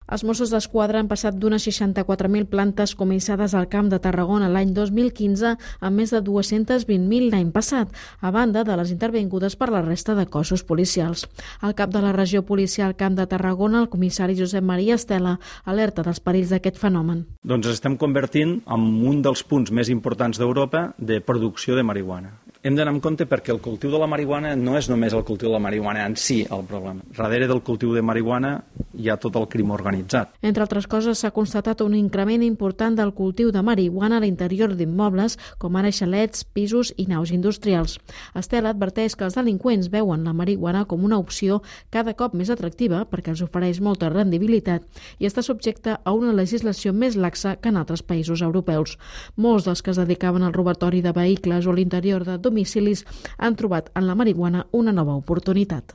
Els Mossos d'Esquadra han passat d'unes 64.000 plantes comissades al Camp de Tarragona l'any 2015 a més de 220.000 l'any passat, a banda de les intervingudes per la resta de cossos policials. El cap de la regió policial Camp de Tarragona, el comissari Josep Maria Estela, alerta dels perills d'aquest fenomen. Doncs estem convertint en un dels punts més importants d'Europa de producció de marihuana. Hem d'anar en compte perquè el cultiu de la marihuana no és només el cultiu de la marihuana en si el problema. Darrere del cultiu de marihuana hi ha tot el crim organitzat. Entre altres coses, s'ha constatat un increment important del cultiu de marihuana a l'interior d'immobles, com ara xalets, pisos i naus industrials. Estela adverteix que els delinqüents veuen la marihuana com una opció cada cop més atractiva perquè els ofereix molta rendibilitat i està subjecte a una legislació més laxa que en altres països europeus. Molts dels que es dedicaven al robatori de vehicles o l'interior de domicilis han trobat en la marihuana una nova oportunitat.